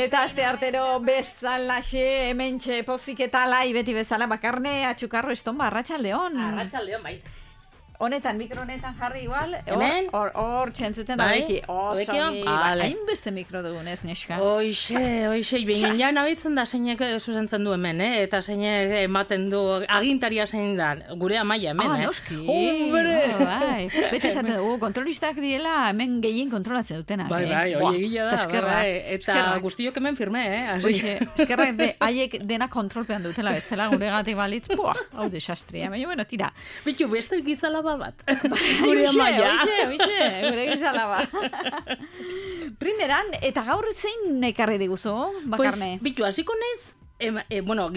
Eta aste artero bezalaxe, hementxe pozik eta lai beti bezala Bakarne Atxukarro Estonba, arratsaldeon. Arratsaldeon, bai. Honetan, mikro honetan jarri igual. Hemen? Hor txentzuten da beki. Hainbeste mikro dugun ez, neska. Hoxe, bingen ja nabitzen da zeinek zuzentzen du hemen, eta zeinek ematen du agintaria zein da, gure amaia hemen, noski. Hombre! Bai. Beti esaten dugu, kontrolistak diela hemen gehien kontrolatzen dutenak. Bai, hori egia da. Eta guztiok hemen firme, Hoxe, eskerrak haiek dena kontrolpean dutela bestela gure gatik balitz, hau desastria. Baina, bueno, tira. Bitu, beste gizalaba bat. Gure amaia. Hoxe, gure gizalaba. Primeran, eta gaur zein ekarri diguzu, Bakarne? Pues, bitu, hasiko naiz,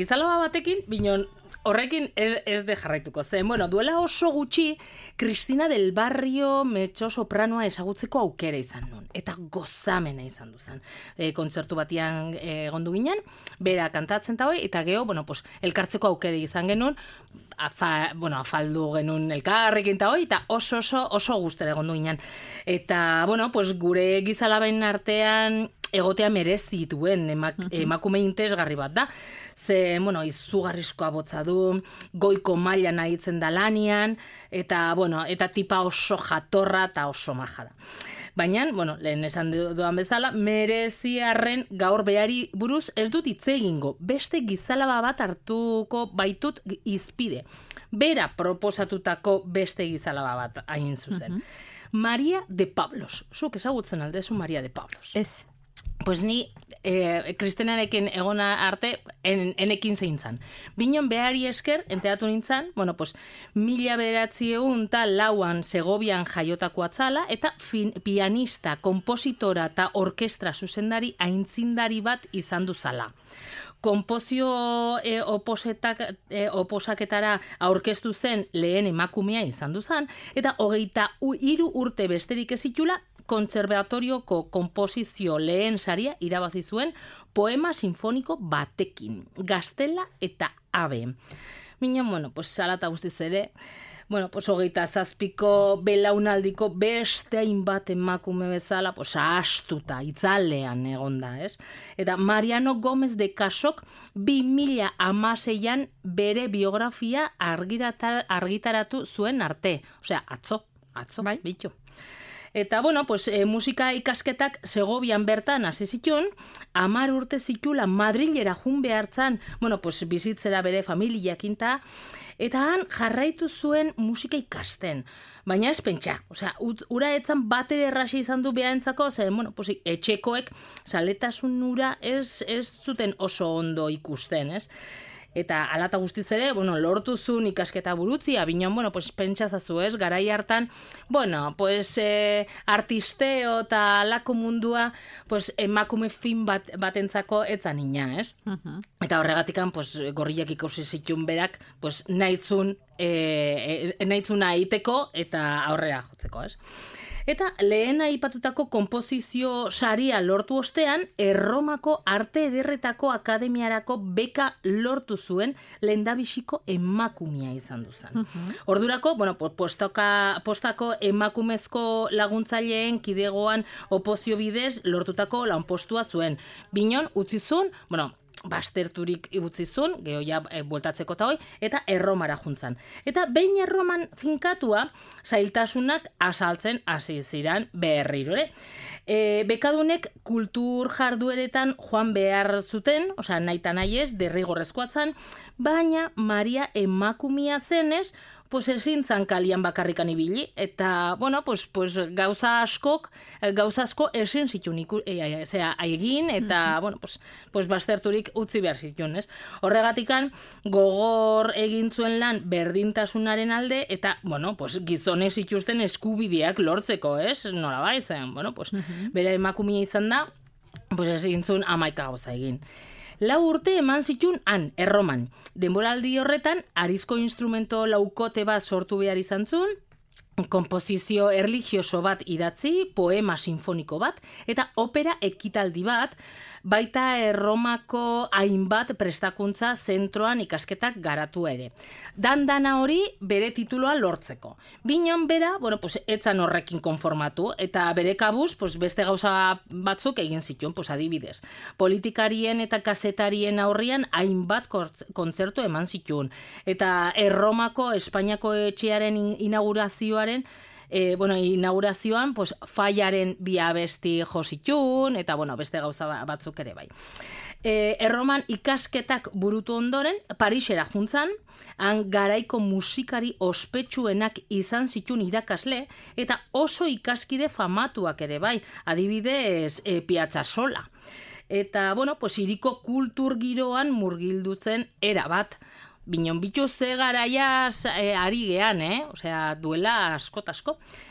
gizalaba batekin, binon, horrekin ez de jarraituko zen. Bueno, duela oso gutxi, Cristina del Barrio metxo sopranoa ezagutzeko aukera izan nun. Eta gozamena izan duzan. Kontzertu batian egondu ginen, bera kantatzen ta hoi, eta geho, elkartzeko aukera izan genuen, afaldu genuen elkarrekin ta hoi, eta oso gustera egondu ginen. Eta, gure gizalaben artean egotea merezi duen emakume interesgarri bat da. Ze, izugarrizkoa botza du, goiko mailan aritzen da lanian, eta tipa oso jatorra eta oso maja da. Baina, lehen esan dudan bezala, mereziarren gaur behari buruz ez dut hitz egingo. Beste gizalaba bat hartuko baitut izpide. Bera proposatutako beste gizalaba bat hain zuzen. Maria de Pablos. Zuk ezagutzen aldezu Maria de Pablos. Ez. Pues ni Kristenarekin egona arte enekin zeintzan. Binon behari esker, enteratu nintzan, 1904 Segovian jaiotako atzala, eta pianista, kompositora eta orkestra zuzendari aintzindari bat izan duzala. Konpozio oposaketara aurkeztu zen lehen emakumea izan duzan, eta 23 urte besterik ez itxula, kontserbatorioko konposizio lehen saria irabazi zuen poema sinfoniko batekin, Gaztela eta Abe. Minon, salata guztiz ere, 27ko belaunaldiko beste hainbat emakume bezala, astuta, itzalean egonda, ez? Eta Mariano Gómez de Casok 2016an bere biografia argitaratu zuen arte. Osea, atzo, bai. Bitu. Eta, musika ikasketak Segovian bertan hasi zituen, 10 urte zitula Madrilera jun behartzan, bizitzera bere familiakinta, eta han jarraitu zuen musika ikasten. Baina ez pentsa, ura etzan batere errasi izan du behaentzako, etxekoek saletasun ura ez zuten oso ondo ikusten, ez? Eta alata guztiz ere, lortu zuen ikasketa burutzia, binon, pentsazazu ez, garai hartan, artisteo eta alako mundua, emakume fin batentzako etzan ina, ez? Eta horregatikan, gorriak ikusi zituen berak, nahitzuna aiteko eta aurrera jotzeko, ez? Eta lehen aipatutako konposizio saria lortu ostean, Erromako Arte Ederretako Akademiarako beka lortu zuen lehendabiziko emakumea izan duzan. Ordurako, postako emakumezko laguntzaileen kidegoan opozio bidez lortutako lanpostua zuen. Binon, utzi zuen, basterturik ibutzizun, geho ja bueltatzeko eta hoi, eta Erromara juntzan. Eta behin Erroman finkatua, zailtasunak asaltzen hasi ziran berriro. Bekadunek kultur jardueretan joan behar zuten, nahi eta nahi ez, derrigorrezkoatzen, baina Maria emakumia zenez, ezin zan kalian bakarrikan ibili, eta, gauza asko ezin zituen egin, eta, basterturik utzi behar zituen, ez? Horregatikan, gogor egin zuen lan berdintasunaren alde, eta, gizonez itxusten eskubideak lortzeko, ez? Nola bai zen, bere emakumia izan da, ezin zuen 11 gauza egin. 4 urte eman zituen han, Erroman. Denboraldi horretan, arizko instrumento laukote bat sortu behar izan zuen, konposizio erlijioso bat idatzi, poema sinfoniko bat, eta opera ekitaldi bat, baita Erromako hainbat prestakuntza zentroan ikasketak garatu ere. Dana hori bere tituloa lortzeko. Binon bera, etzan horrekin konformatu, eta bere kabuz, beste gauza batzuk egin zituen, adibidez. Politikarien eta kazetarien aurrian hainbat kontzertu eman zituen. Eta Erromako Espainiako etxearen inaugurazioan, Faiaren bi abesti jo zituen, eta beste gauza batzuk ere bai. Erroman ikasketak burutu ondoren, Parisera juntzan, han garaiko musikari ospetsuenak izan zituen irakasle, eta oso ikaskide famatuak ere bai, adibidez Piazzasola. Eta, hiriko kultur giroan murgildutzen erabat. Binon bitu ze garaiaz ari gean, duela asko.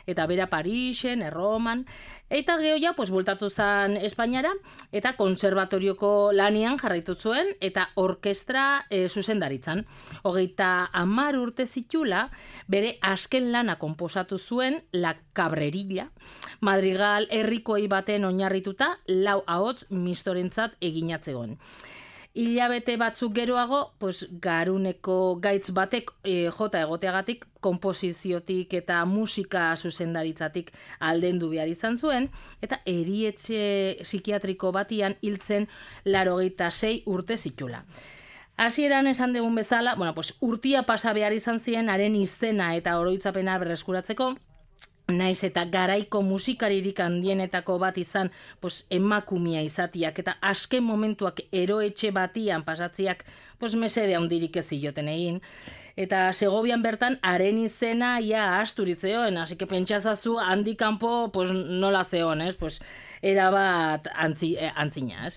Eta bera Parisen, Erroman. Eta gehoia, bueltatu zen Espainiara, eta konserbatorioko lanian jarraitu zuen, eta orkestra zuzendaritzan. 30 urte zitula, bere azken lana konposatu zuen La Cabrerilla, madrigal herrikoi baten oinarrituta, 4 ahots mistorentzat eginatzegon. Hilabete batzuk geroago, garuneko gaitz batek jota egoteagatik, konposiziotik eta musika zuzendaritzatik aldendu behar izan zuen, eta erietxe psikiatriko batian hiltzen 86 urte zitula. Hasieran esan dugun bezala, urtia pasa behar izan ziren haren izena eta oroitzapena berreskuratzeko, naiz eta garaiko musikaririk handienetako bat izan emakumea izatiak eta azken momentuak eroetxe batian pasatziak mesede handirik ez zioten egin. Eta Segovian bertan haren izena ia asturitzeoen, hasi que pentsazazu handik kanpo nola zeon, erabat antzina.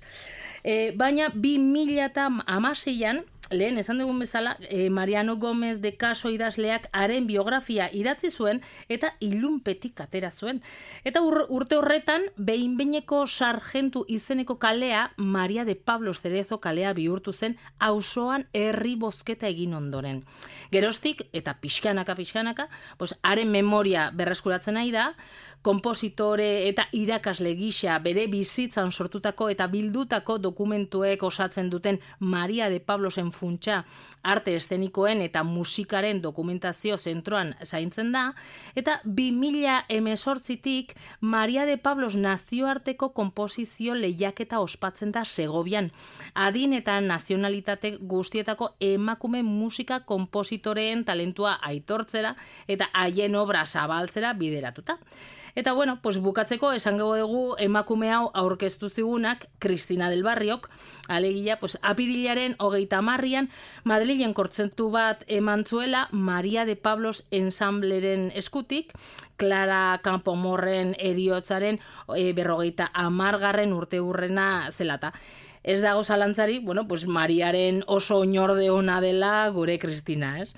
Baina 2016an, lehen esan dugun bezala, Mariano Gómez de Caso idazleak haren biografia idatzi zuen eta ilunpetik atera zuen. Eta urte horretan, behin-behineko sargentu izeneko kalea, Maria de Pablos Cerezo kalea bihurtu zen auzoan herri bozketa egin ondoren. Geroztik, eta pixkanaka, haren memoria berreskuratzen nahi da, konpositore eta irakasle gisa bere bizitzan sortutako eta bildutako dokumentuek osatzen duten Maria de Pablosen funtsa arte eszenikoen eta musikaren dokumentazio zentroan zaintzen da, eta 2018tik Maria de Pablos nazioarteko konposizio lehiaketa ospatzen da Segovian, adin eta nazionalitate guztietako emakume musika konpositoreen talentua aitortzera eta haien obra zabaltzera bideratuta. Eta bukatzeko esango dugu emakume hau aurkeztu zigunak Cristina del Barriok, alegia apirilaren 30an Madrilen kontzertu bat eman zuela Maria de Pablos ensambleren eskutik, Clara Campoamorren heriotzaren 50. urteurrena zelata. Ez dago zalantzari, Mariaren oso oinorde ona dela gure Cristina, ez?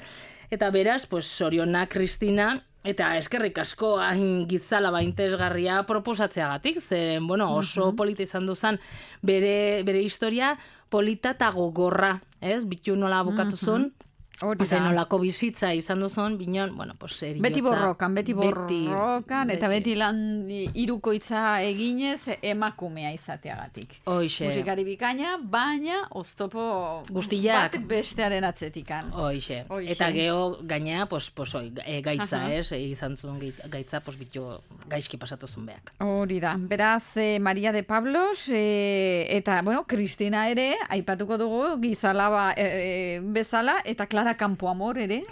Eta beraz, zorionak Cristina, eta eskerrik asko hain gizala baintesgarria proposatzeagatik, zeren, oso polita izan duzan bere historia, polita eta gogorra, ez? Bitu nola bukatu zuen, nolako bizitza izan duzun, binon, eriotza. Beti borrokan, eta beti lan irukoitza eginez emakumea izateagatik. Hoixe. Musikari bikaina, baina oztopo guztiak bat bestearen atzetikan. Hoixe. Eta geho gaina, gaitza, ez? Izan zuen gaitza, bitu gaizki pasatu zuen beak. Hori da. Beraz, Maria de Pablos, eta, Cristina ere, aipatuko dugu, gizala bezala, eta Clara Campoamor ere,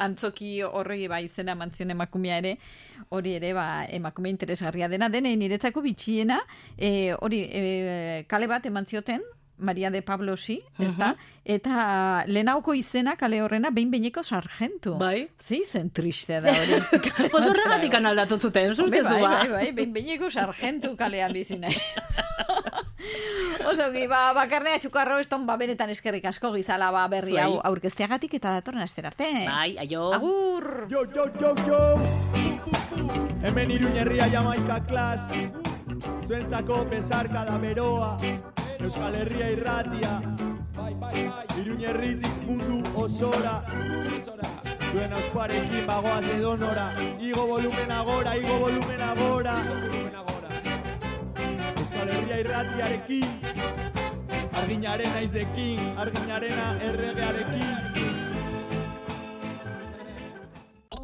antzoki horregi izena mantzion emakumea ere, hori ere emakume interesgarria dena, niretzako bitxiena, kale bat eman zioten, Maria de Pablosi, ezta? Eta lehenauko izena kale horrena behin-behineko sargentu. Bai. Zen tristea da hori. Horregatik analdatu zuten, zuztezu ba. Bai, behin-behineko sargentu kalean bizina. Oso, bakarnea txukarro eston, benetan eskerrik asko gizala berri hau aurkezteagatik eta datorren astera arte. Bai, aio. Agur! Jo! Hemen Iruñerria Jamaika klas, zuentzako besarkada beroa, Euskal Herria irratia, Iruñerritik mundu osora, zuen ausparekin bagoaz edonora, igo volumen agora, Euskal Euskal Herria irratiarekin, arginaren naizdekin, arginarena erregearekin.